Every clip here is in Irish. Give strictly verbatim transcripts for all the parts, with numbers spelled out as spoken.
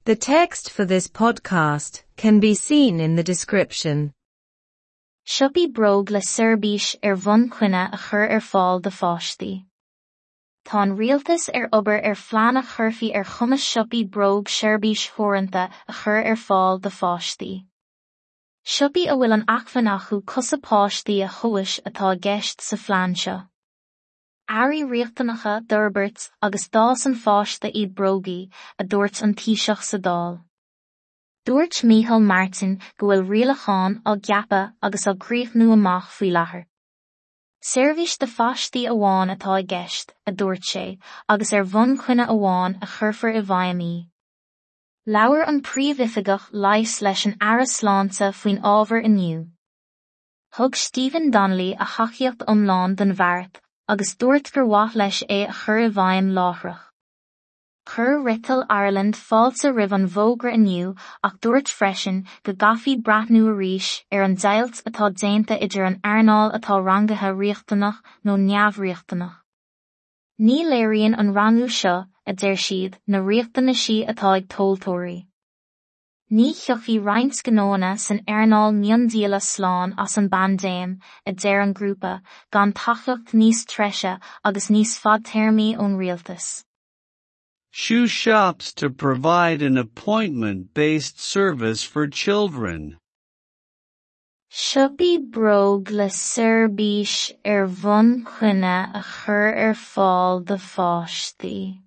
The text for this podcast can be seen in the description. Siopaí bróg le seirbhís ar bhonn coinne a chur ar fáil do pháistí. Tá an rialtas ar obair ar phlean a chuirfí ar chumas siopaí bróg seirbhís theoranta a chur ar fáil do pháistí. Siopaí a bhfuil an acmhainn acu cosa páistí a thomhas atá i gceist sa phlean seo. Earraí riachtanacha d'fhorbairt agus d'fhás an pháiste iad brógaí, a dúirt an Taoiseach sa Dáil. Dúirt Micheál Martin go bhfuil rialacháin á gceapadh agus á gcríochnú amach faoi láthair. Seirbhís do pháistí amháin atá i gceist, a dúirt sé, agus ar bhonn coinne amháin a chuirfear i bhfeidhm í. Labhair an príomhoifigeach leighis leis an Aire Sláinte faoin ábhar inniu. Thug Stephen Donnelly a thacaíocht iomlán don bheart agus dúirt gur mhaith leis é a chur i bhfeidhm láithreach. Chuir Retail Ireland fáilte roimh an bhfógra inniu ach dúirt freisin go gcaithfí breathnú arís ar an deighilt atá déanta idir an earnáil atá rangaithe riachtanach nó neamhriachtanach. Ní léiríonn an rangú seo, a deir siad, na riachtanaisí atá ag tomhaltóirí. Ní thiocfaidh roinnt gnóanna san earnáil miondíola slán as an bpaindéim, a deir an grúpa, gan tacaíocht níos treise agus níos fadtéarmaí ón rialtas. Shoe shops to provide an appointment-based service for children. Siopaí bróg le seirbhís ar bhonn coinne a chur ar fáil do pháistí.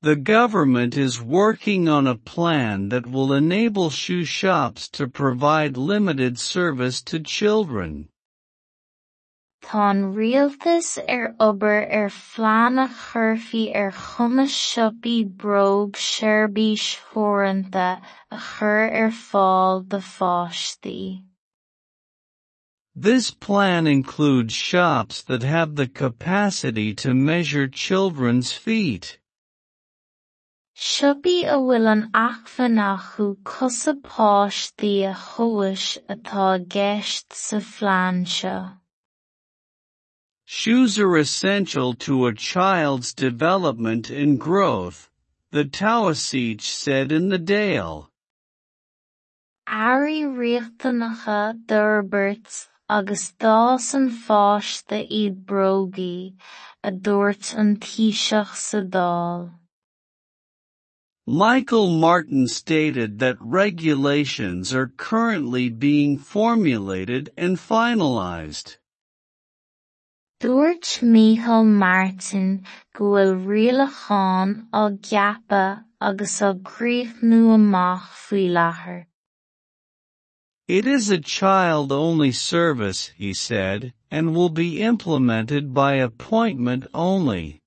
The government is working on a plan that will enable shoe shops to provide limited service to children. Tá an rialtas ar obair ar phlean a chuirfí ar chumas siopaí bróg seirbhís theoranta a chur ar fáil do pháistí. This plan includes shops that have the capacity to measure children's feet. Siopaí a bhfuil an acmhainn acu cosa páistí a thomhas atá i gceist sa phlean seo. Shoes are essential to a child's development and growth, the Taoiseach said in the Dáil. Earraí riachtanacha d'fhorbairt agus d'fhás an pháiste iad brógaí, a dúirt an Taoiseach sa Dáil. Michael Martin stated that regulations are currently being formulated and finalized. Dúirt Micheál Martin go bhfuil rialacháin á gceapadh agus á gcríochnú amach faoi láthair. It is a child-only service, he said, and will be implemented by appointment only.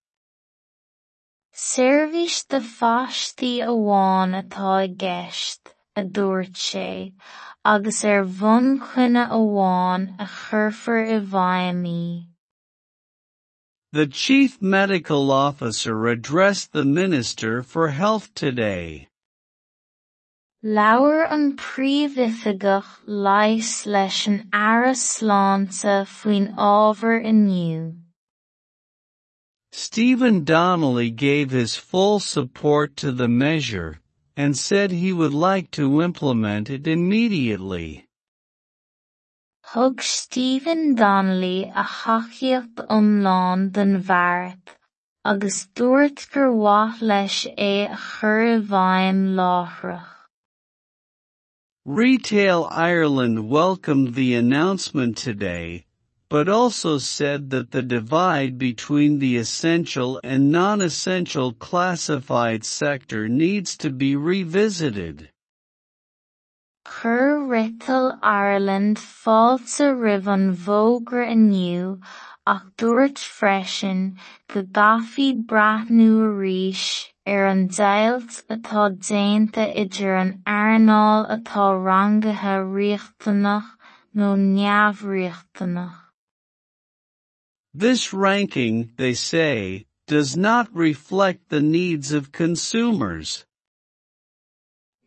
Seirbhís do pháistí amháin atá i gceist, a dúirt sé, agus ar bhonn coinne amháin a chuirfear i bhfeidhm í. The chief medical officer addressed the Minister for Health today. Labhair an príomhoifigeach leighis leis an Aire Sláinte faoin ábhar inniu. Stephen Donnelly gave his full support to the measure, and said he would like to implement it immediately. Thug Stephen Donnelly a thacaíocht iomlán don bheart, agus dúirt gur mhaith leis é a chur i bhfeidhm láithreach. Retail Ireland welcomed the announcement today, but also said that the divide between the essential and non-essential classified sector needs to be revisited. Chuir Retail Ireland fáilte roimh an bhfógra inniu ach dúirt freisin go gcaithfí breathnú arís ar an deighilt atá déanta idir an earnáil atá rangaithe riachtanach nó neamhriachtanach. This ranking, they say, does not reflect the needs of consumers.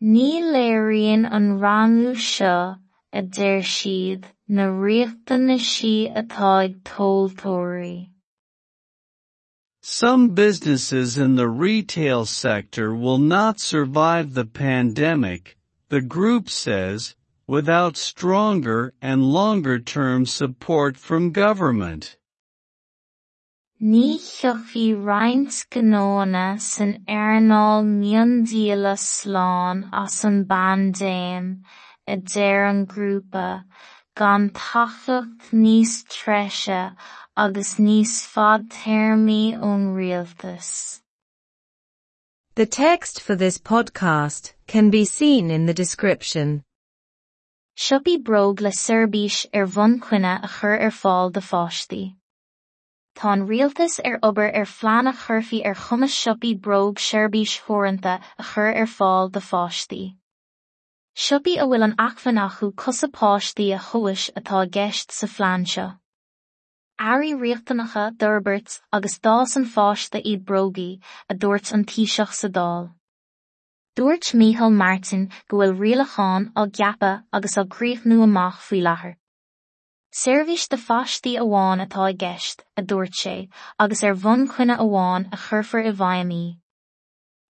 Ní léiríonn an rangú seo, a deir siad, na riachtanaisí atá ag tomhaltóirí. Some businesses in the retail sector will not survive the pandemic, the group says, without stronger and longer-term support from government. Ní thiocfaidh roinnt gnóanna san earnáil miondíola slán as an bpaindéim, a deir an grúpa, gan tacaíocht níos treise agus níos fadtéarmaí ón rialtas. The text for this podcast can be seen in the description. Siopaí bróg le seirbhís ar bhonn coinne a chur ar fáil do pháistí. Tá an rialtas ar obair ar phlean a chuirfí ar chumas siopaí bróg seirbhís theoranta a chur ar fáil do pháistí. Siopaí a bhfuil an acmhainn acu cosa páistí a thomhas atá i gceist sa phlean seo. Earraí riachtanacha d'fhorbairt agus d'fhás an pháiste iad brógaí, a dúirt an Taoiseach sa Dáil. Dúirt Micheál Martin go bhfuil rialacháin á gceapadh agus á gcríochnú amach faoi láthair. Seirbhís do pháistí amháin atá i gceist, a dúirt sé, agus ar bhonn coinne amháin a chuirfear i bhfeidhm í.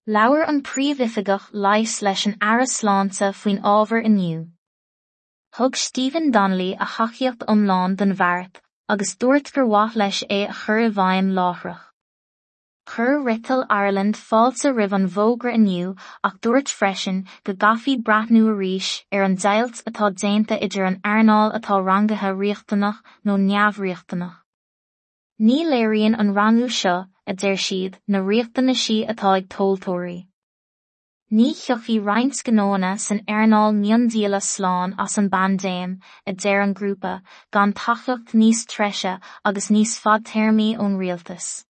Labhair an príomhoifigeach leighis leis an Aire Sláinte faoin ábhar inniu. Thug Stephen Donnelly a thacaíocht iomlán don bheart, agus dúirt gur mhaith leis é a chur i bhfeidhm láithreach. Chuir Retail Ireland fáilte roimh an bhfógra inniu ach dúirt freisin go gcaithfí breathnú arís ar an deighilt atá déanta idir an earnáil atá rangaithe riachtanach nó neamhriachtanach. Ní léiríonn an rangú seo, a deir siad, na riachtanaisí atá ag tomhaltóirí. Ní thiocfaidh roinnt gnóanna san earnáil miondíola slán as an bpaindéim, a deir an grúpa, gan tacaíocht níos treise agus níos fadtéarmaí ón rialtas.